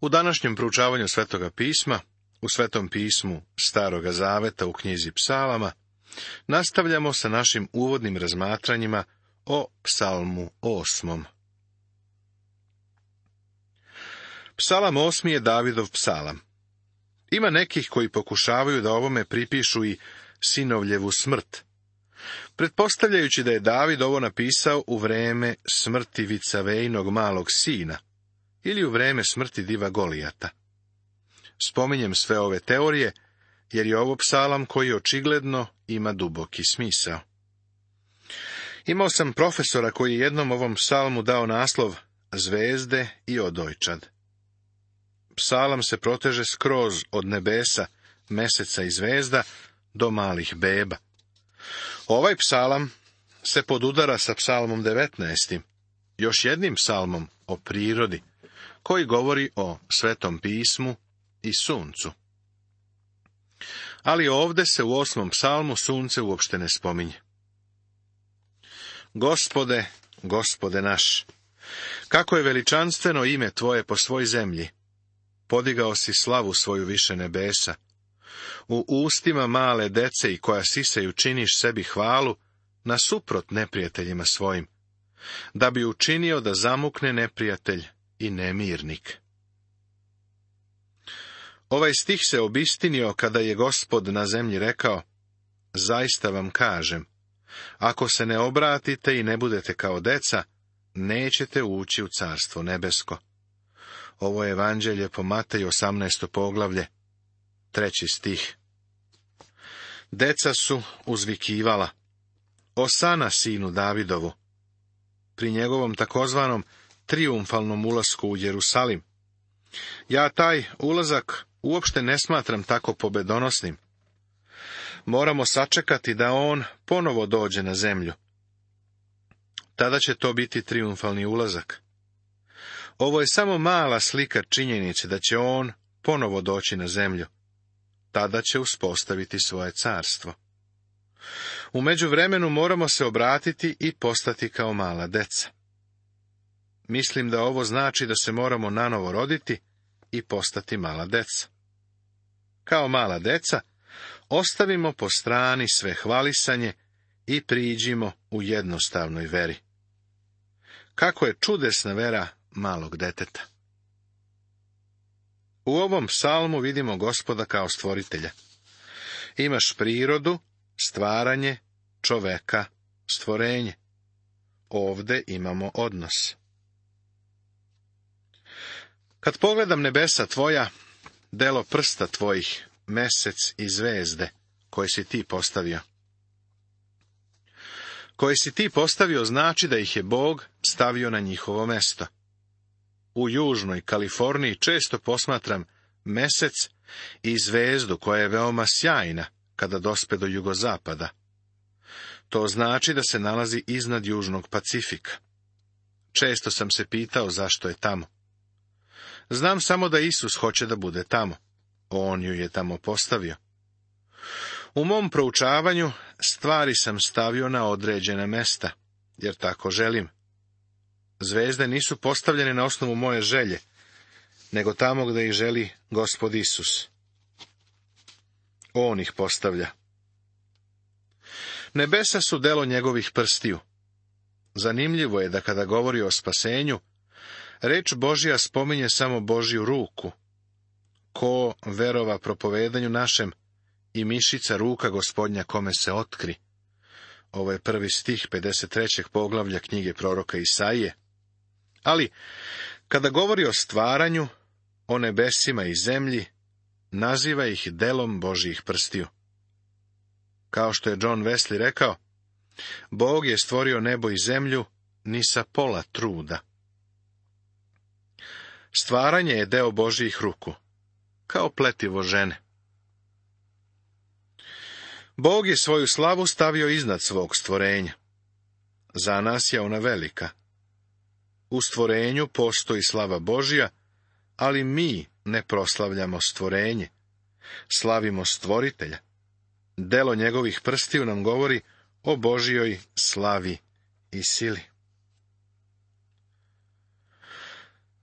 U današnjem proučavanju Svetoga pisma, u Svetom pismu Staroga zaveta u knjizi Psalama, nastavljamo sa našim uvodnim razmatranjima o Psalmu 8. Psalam 8. je Davidov psalam. Ima nekih koji pokušavaju da ovome pripišu i sinovljevu smrt, pretpostavljajući da je David ovo napisao u vreme smrti Vicavejnog malog sina ili u vreme smrti diva Golijata. Spominjem sve ove teorije, jer je ovo psalam koji očigledno ima duboki smisao. Imao sam profesora koji je jednom ovom psalmu dao naslov Zvezde i odojčad. Psalam se proteže skroz od nebesa, meseca i zvezda do malih beba. Ovaj psalam se podudara sa psalmom 19. još jednim psalmom o prirodi, koji govori o Svetom pismu i suncu. Ali ovde se u 8. psalmu sunce uopšte ne spominje. Gospode, Gospode naš, kako je veličanstveno ime Tvoje po svoj zemlji, podigao si slavu svoju više nebesa. U ustima male dece i koja sisaju činiš sebi hvalu nasuprot neprijateljima svojim, da bi učinio da zamukne neprijatelj i nemirnik. Ovaj stih se obistinio kada je Gospod na zemlji rekao: zaista vam kažem, ako se ne obratite i ne budete kao deca, nećete ući u carstvo nebesko. Ovo je evanđelje po Mateju 18. poglavlje, 3. stih. Deca su uzvikivala: Osana sinu Davidovu, pri njegovom takozvanom trijumfalnom ulasku u Jerusalim. Ja taj ulazak uopšte ne smatram tako pobedonosnim. Moramo sačekati da on ponovo dođe na zemlju. Tada će to biti trijumfalni ulazak. Ovo je samo mala slika činjenice da će on ponovo doći na zemlju. Tada će uspostaviti svoje carstvo. U međuvremenu moramo se obratiti i postati kao mala deca. Mislim da ovo znači da se moramo nanovo roditi i postati mala deca. Kao mala deca, ostavimo po strani sve hvalisanje i priđimo u jednostavnoj veri. Kako je čudesna vera malog deteta. U ovom psalmu vidimo Gospoda kao stvoritelja. Imaš prirodu, stvaranje, čoveka, stvorenje. Ovde imamo odnos. Kad pogledam nebesa tvoja, delo prsta tvojih, mesec i zvezde, koje si ti postavio. Koje si ti postavio znači da ih je Bog stavio na njihovo mesto. U južnoj Kaliforniji često posmatram mesec i zvezdu koja je veoma sjajna kada dospe do jugozapada. To znači da se nalazi iznad južnog Pacifika. Često sam se pitao zašto je tamo. Znam samo da Isus hoće da bude tamo. On ju je tamo postavio. U mom proučavanju stvari sam stavio na određena mesta, jer tako želim. Zvezde nisu postavljene na osnovu moje želje, nego tamo gde ih želi Gospod Isus. On ih postavlja. Nebesa su delo njegovih prstiju. Zanimljivo je da kada govori o spasenju, reč Božja spominje samo Božju ruku. Ko verova propovedanju našem i mišica ruka Gospodnja kome se otkri. Ovo je 1. stih 53. poglavlja knjige proroka Isaije. Ali, kada govori o stvaranju, o nebesima i zemlji, naziva ih delom Božjih prstiju. Kao što je John Wesley rekao, Bog je stvorio nebo i zemlju ni sa pola truda. Stvaranje je deo Božjih ruku, kao pletivo žene. Bog je svoju slavu stavio iznad svog stvorenja. Za nas je ona velika. U stvorenju postoji slava Božja, ali mi ne proslavljamo stvorenje. Slavimo stvoritelja. Delo njegovih prstiju nam govori o Božjoj slavi i sili.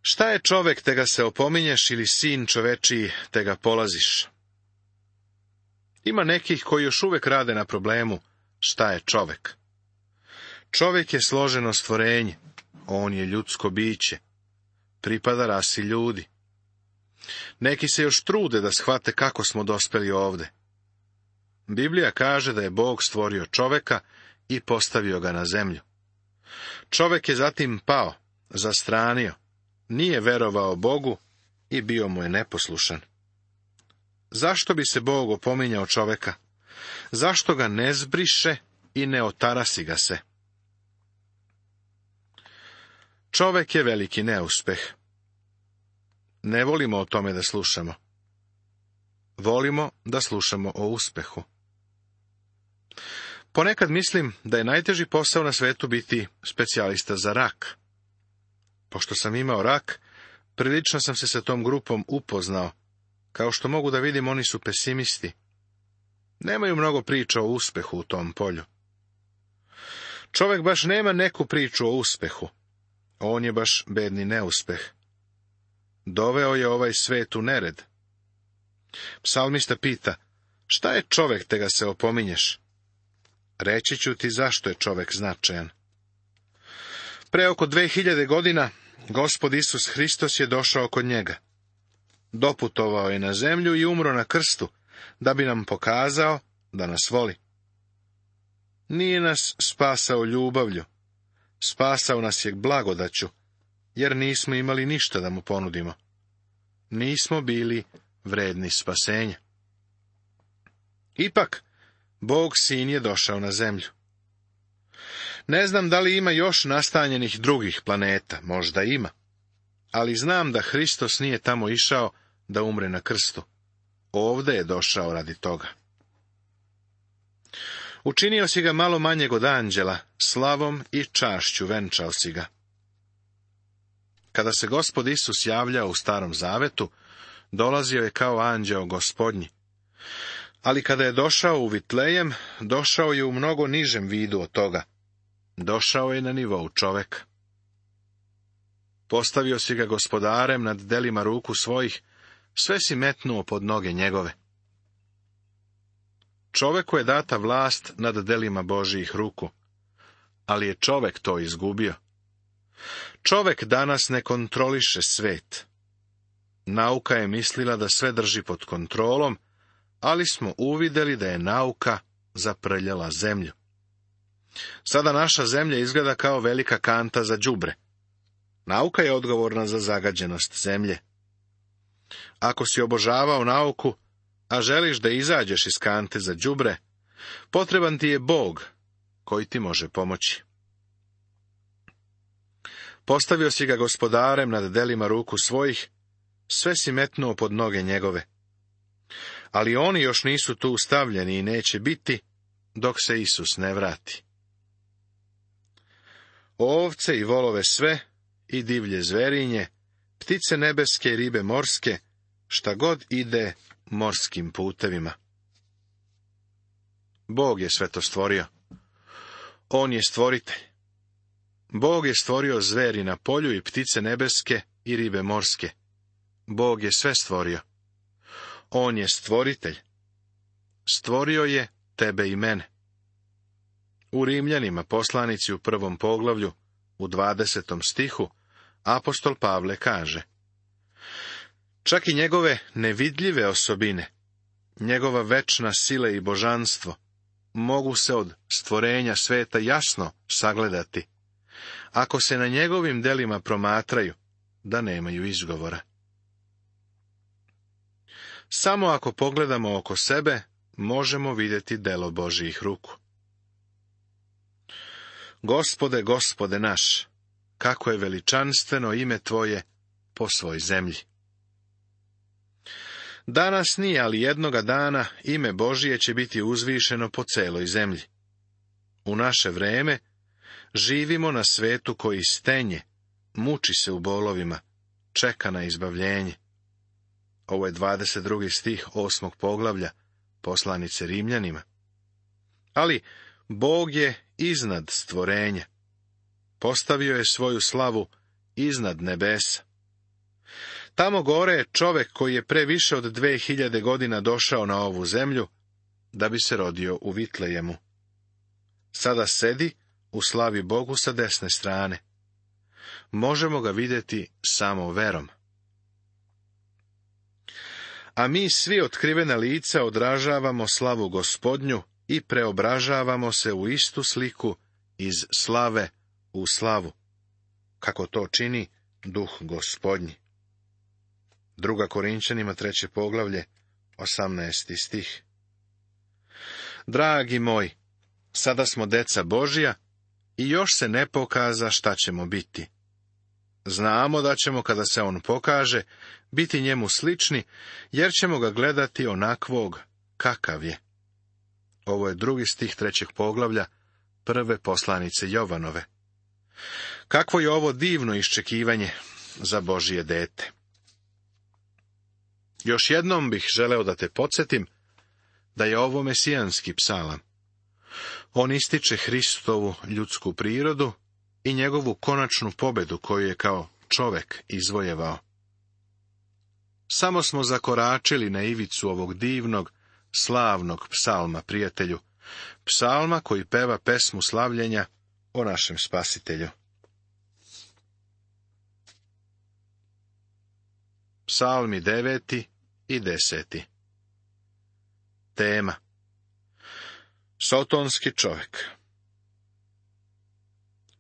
Šta je čovek, te ga se opominješ, ili sin čovečiji, te ga polaziš? Ima nekih koji još uvek rade na problemu šta je čovek. Čovek je složeno stvorenje, on je ljudsko biće, pripada rasi ljudi. Neki se još trude da shvate kako smo dospeli ovde. Biblija kaže da je Bog stvorio čoveka i postavio ga na zemlju. Čovek je zatim pao, zastranio, nije verovao Bogu i bio mu je neposlušan. Zašto bi se Bog opominjao čoveka? Zašto ga ne zbriše i ne otarasi ga se? Čovek je veliki neuspeh. Ne volimo o tome da slušamo. Volimo da slušamo o uspehu. Ponekad mislim da je najteži posao na svetu biti specijalista za rak. Pošto sam imao rak, prilično sam se sa tom grupom upoznao. Kao što mogu da vidim, oni su pesimisti. Nemaju mnogo priča o uspehu u tom polju. Čovek baš nema neku priču o uspehu. On je baš bedni neuspeh. Doveo je ovaj svet u nered. Psalmista pita, šta je čovek, te ga se opominješ? Reći ću ti zašto je čovek značajan. Pre oko 2000 godina, Gospod Isus Hristos je došao kod njega. Doputovao je na zemlju i umro na krstu, da bi nam pokazao da nas voli. Nije nas spasao ljubavlju, spasao nas je blagodaću, jer nismo imali ništa da mu ponudimo. Nismo bili vredni spasenja. Ipak, Bog sin je došao na zemlju. Ne znam da li ima još nastanjenih drugih planeta, možda ima. Ali znam da Hristos nije tamo išao da umre na krstu. Ovde je došao radi toga. Učinio si ga malo manjeg od anđela, slavom i čašću venčao si ga. Kada se Gospod Isus javljao u Starom Zavetu, dolazio je kao anđeo Gospodnji. Ali kada je došao u Vitlejem, došao je u mnogo nižem vidu od toga. Došao je na nivou čoveka. Postavio si ga gospodarem nad delima ruku svojih, sve si metnuo pod noge njegove. Čoveku je data vlast nad delima Božijih ruku, ali je čovek to izgubio. Čovek danas ne kontroliše svet. Nauka je mislila da sve drži pod kontrolom, ali smo uvideli da je nauka zaprljala zemlju. Sada naša zemlja izgleda kao velika kanta za đubre. Nauka je odgovorna za zagađenost zemlje. Ako si obožavao nauku, a želiš da izađeš iz kante za đubre, potreban ti je Bog koji ti može pomoći. Postavio si ga gospodarem nad delima ruku svojih, sve si metnuo pod noge njegove. Ali oni još nisu tu stavljeni i neće biti, dok se Isus ne vrati. Ovce i volove sve, i divlje zverinje, ptice nebeske i ribe morske, šta god ide morskim putevima. Bog je sve to stvorio. On je stvoritelj. Bog je stvorio zveri na polju i ptice nebeske i ribe morske. Bog je sve stvorio. On je stvoritelj. Stvorio je tebe i mene. U Rimljanima, poslanici u 1. poglavlju, u 20. stihu, apostol Pavle kaže: čak i njegove nevidljive osobine, njegova večna sila i božanstvo, mogu se od stvorenja sveta jasno sagledati, ako se na njegovim delima promatraju, da nemaju izgovora. Samo ako pogledamo oko sebe, možemo vidjeti delo Božijih ruku. Gospode, Gospode naš, kako je veličanstveno ime Tvoje po svoj zemlji. Danas nije, ali jednoga dana ime Božije će biti uzvišeno po celoj zemlji. U naše vreme živimo na svetu koji stenje, muči se u bolovima, čeka na izbavljenje. Ovo je 22. stih 8. poglavlja poslanice Rimljanima. Ali Bog je iznad stvorenja. Postavio je svoju slavu iznad nebesa. Tamo gore je čovek koji je pre više od 2000 godina došao na ovu zemlju, da bi se rodio u Vitlejemu. Sada sedi u slavi Bogu sa desne strane. Možemo ga vidjeti samo verom. A mi svi otkrivena lica odražavamo slavu Gospodnju i preobražavamo se u istu sliku iz slave u slavu, kako to čini Duh Gospodnji. 2. Korinčanima 3. poglavlje, 18. stih. Dragi moji, sada smo deca Božja i još se ne pokaza šta ćemo biti. Znamo da ćemo, kada se on pokaže, biti njemu slični, jer ćemo ga gledati onakvog kakav je. Ovo je 2. stih 3. poglavlja 1. poslanice Jovanove. Kakvo je ovo divno iščekivanje za Božje dete. Još jednom bih želeo da te podsjetim da je ovo mesijanski psalam. On ističe Hristovu ljudsku prirodu i njegovu konačnu pobedu koju je kao čovek izvojevao. Samo smo zakoračili na ivicu ovog divnog, slavnog psalma, prijatelju, psalma koji peva pesmu slavljenja o našem Spasitelju. Psalmi 9. i 10. Tema: Sotonski čovek.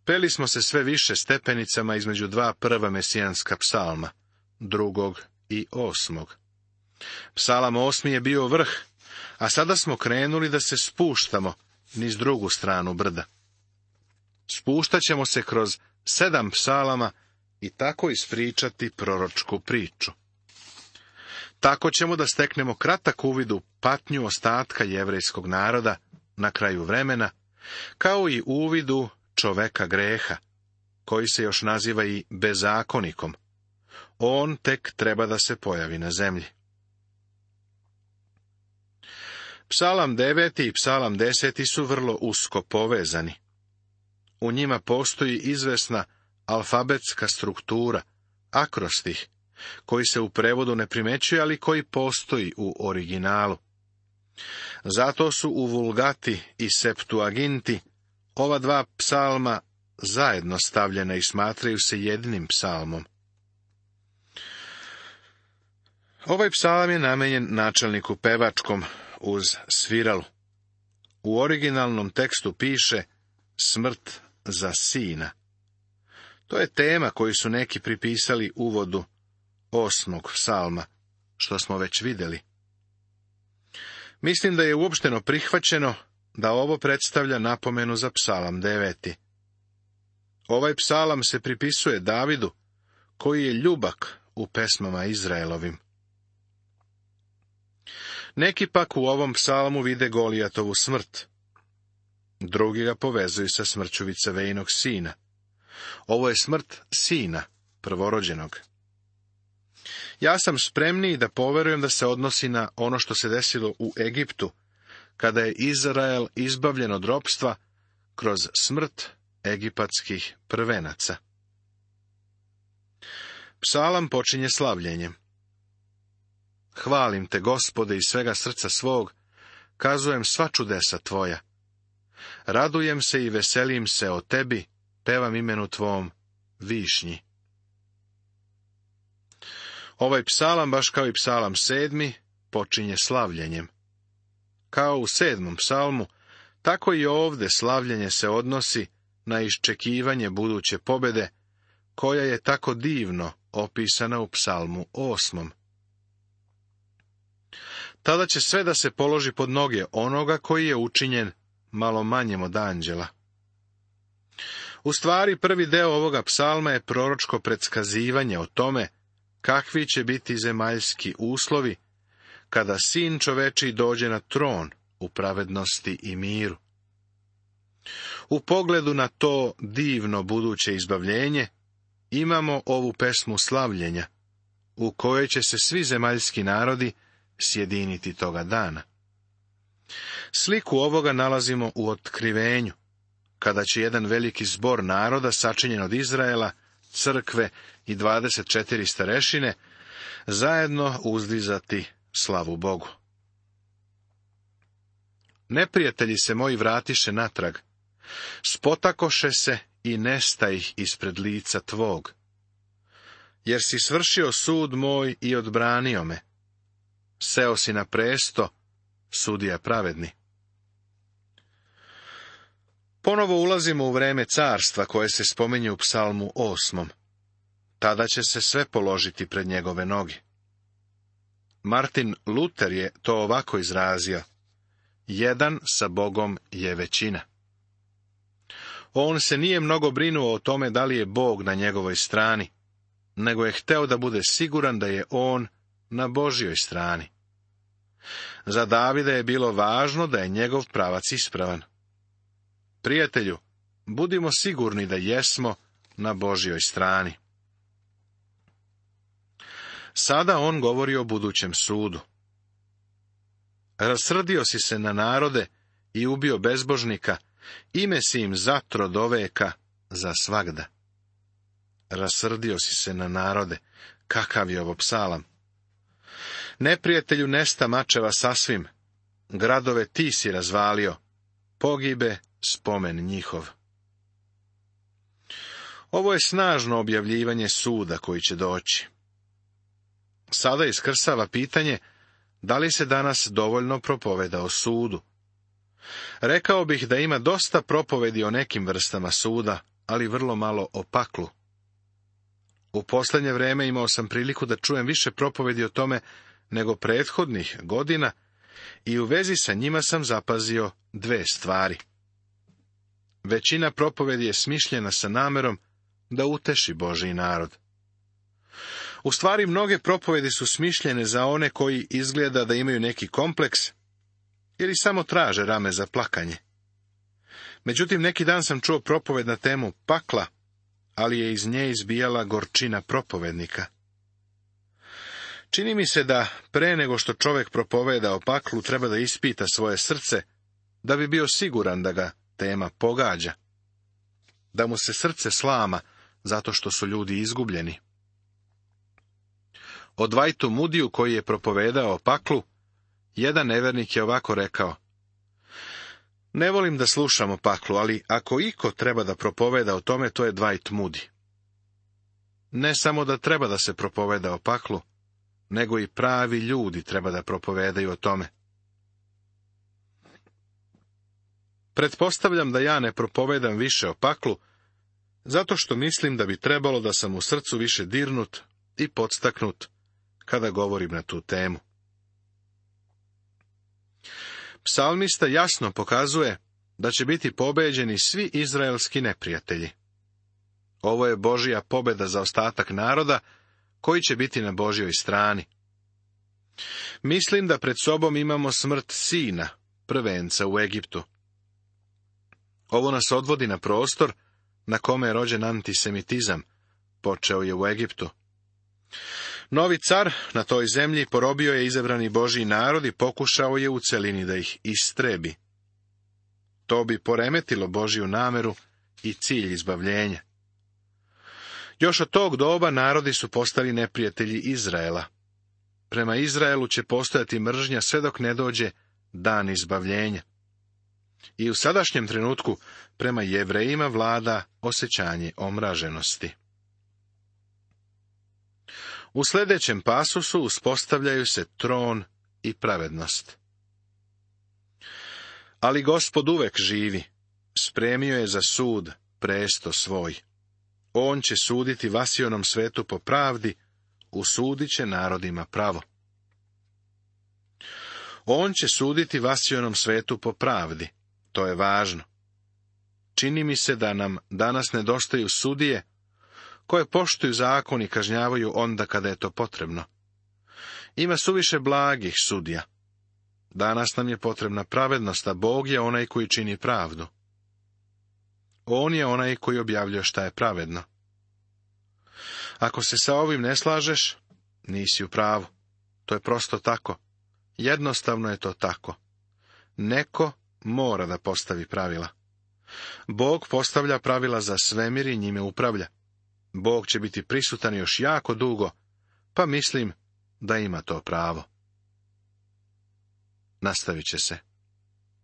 Peli smo se sve više stepenicama između dva prva mesijanska psalma, 2. i 8. Psalam 8. je bio vrh, a sada smo krenuli da se spuštamo niz drugu stranu brda. Spuštat ćemo se kroz 7 psalama i tako ispričati proročku priču. Tako ćemo da steknemo kratak uvid u patnju ostatka jevrejskog naroda na kraju vremena, kao i uvid u čoveka greha, koji se još naziva i bezakonikom. On tek treba da se pojavi na zemlji. Psalam 9. i psalam 10. su vrlo usko povezani. U njima postoji izvesna alfabetska struktura, akrostih, koji se u prevodu ne primećuje, ali koji postoji u originalu. Zato su u Vulgati i Septuaginti ova dva psalma zajedno stavljena i smatraju se jednim psalmom. Ovaj psalam je namenjen načelniku pevačkom uz sviralu. U originalnom tekstu piše smrt za sina. To je tema koju su neki pripisali uvodu 8. psalma, što smo već vidjeli. Mislim da je uopšteno prihvaćeno da ovo predstavlja napomenu za psalam 9. Ovaj psalam se pripisuje Davidu, koji je ljubak u pesmama Izraelovim. Neki pak u ovom psalmu vide Golijatovu smrt. Drugi ga povezuju sa smrću Vicevejnog sina. Ovo je smrt sina, prvorođenog. Ja sam spremniji da poverujem da se odnosi na ono što se desilo u Egiptu, kada je Izrael izbavljen od ropstva kroz smrt egipatskih prvenaca. Psalam počinje slavljenjem. Hvalim te, Gospode, iz svega srca svog, kazujem sva čudesa tvoja. Radujem se i veselim se o tebi, pevam imenu tvom, višnji. Ovaj psalam, baš kao i psalam 7, počinje slavljenjem. Kao u 7. psalmu, tako i ovdje slavljenje se odnosi na iščekivanje buduće pobjede, koja je tako divno opisana u psalmu 8. Tada će sve da se položi pod noge onoga koji je učinjen malo manjem od anđela. U stvari, prvi deo ovoga psalma je proročko predskazivanje o tome kakvi će biti zemaljski uslovi kada sin čovečiji dođe na tron u pravednosti i miru. U pogledu na to divno buduće izbavljenje imamo ovu pesmu slavljenja, u kojoj će se svi zemaljski narodi sjediniti toga dana. Sliku ovoga nalazimo u Otkrivenju, kada će jedan veliki zbor naroda sačinjen od Izraela, crkve i 24 starešine zajedno uzdizati slavu Bogu. Neprijatelji se moji vratiše natrag, spotakoše se i nestajih ispred lica tvog, jer si svršio sud moj i odbranio me. Seo si na presto, sudija pravedni. Ponovo ulazimo u vreme carstva koje se spominje u Psalmu 8. Tada će se sve položiti pred njegove noge. Martin Luter je to ovako izrazio: jedan sa Bogom je većina. On se nije mnogo brinuo o tome da li je Bog na njegovoj strani, nego je hteo da bude siguran da je on na Božjoj strani. Za Davida je bilo važno da je njegov pravac ispravan. Prijatelju, budimo sigurni da jesmo na Božjoj strani. Sada on govori o budućem sudu. Rasrdio si se na narode i ubio bezbožnika, ime si im zatro do veka za svagda. Rasrdio si se na narode, kakav je ovo psalam. Neprijatelju nesta mačeva sasvim, gradove ti si razvalio, pogibe spomen njihov. Ovo je snažno objavljivanje suda koji će doći. Sada iskrsava pitanje da li se danas dovoljno propoveda o sudu. Rekao bih da ima dosta propovedi o nekim vrstama suda, ali vrlo malo o paklu. U posljednje vrijeme imao sam priliku da čujem više propovedi o tome nego prethodnih godina i u vezi sa njima sam zapazio dve stvari. Većina propovedi je smišljena sa namerom da uteši Božji narod. U stvari, mnoge propovedi su smišljene za one koji izgleda da imaju neki kompleks ili samo traže rame za plakanje. Međutim, neki dan sam čuo propoved na temu pakla, ali je iz nje izbijala gorčina propovednika. Čini mi se da pre nego što čovjek propoveda o paklu treba da ispita svoje srce, da bi bio siguran da ga tema pogađa, da mu se srce slama zato što su ljudi izgubljeni. O Dwightu Moodyu, koji je propovedao o paklu, jedan nevernik je ovako rekao: ne volim da slušam o paklu, ali ako iko treba da propoveda o tome, to je Dwight Moody. Ne samo da treba da se propoveda o paklu, nego i pravi ljudi treba da propovedaju o tome. Pretpostavljam da ja ne propovedam više o paklu, zato što mislim da bi trebalo da sam u srcu više dirnut i podstaknut kada govorim na tu temu. Psalmista jasno pokazuje da će biti pobeđeni svi izraelski neprijatelji. Ovo je Božja pobjeda za ostatak naroda koji će biti na Božjoj strani. Mislim da pred sobom imamo smrt sina, prvenca u Egiptu. Ovo nas odvodi na prostor na kome je rođen antisemitizam, počeo je u Egiptu. Novi car na toj zemlji porobio je izabrani Božji narod i pokušao je u celini da ih istrebi. To bi poremetilo Božju nameru i cilj izbavljenja. Još od tog doba narodi su postali neprijatelji Izraela. Prema Izraelu će postojati mržnja sve dok ne dođe dan izbavljenja. I u sadašnjem trenutku prema Jevrejima vlada osjećanje omraženosti. U sljedećem pasusu uspostavljaju se tron i pravednost. Ali Gospod uvek živi, spremio je za sud presto svoj. On će suditi vasionom svetu po pravdi, usudit će narodima pravo. On će suditi vasionom svetu po pravdi, to je važno. Čini mi se da nam danas nedostaju sudije koje poštuju zakon i kažnjavaju onda kada je to potrebno. Ima suviše blagih sudija. Danas nam je potrebna pravednost, a Bog je onaj koji čini pravdu. On je onaj koji objavljuje šta je pravedno. Ako se sa ovim ne slažeš, nisi u pravu. To je prosto tako. Jednostavno je to tako. Neko mora da postavi pravila. Bog postavlja pravila za svemir i njime upravlja. Bog će biti prisutan još jako dugo, pa mislim da ima to pravo. Nastavit će se.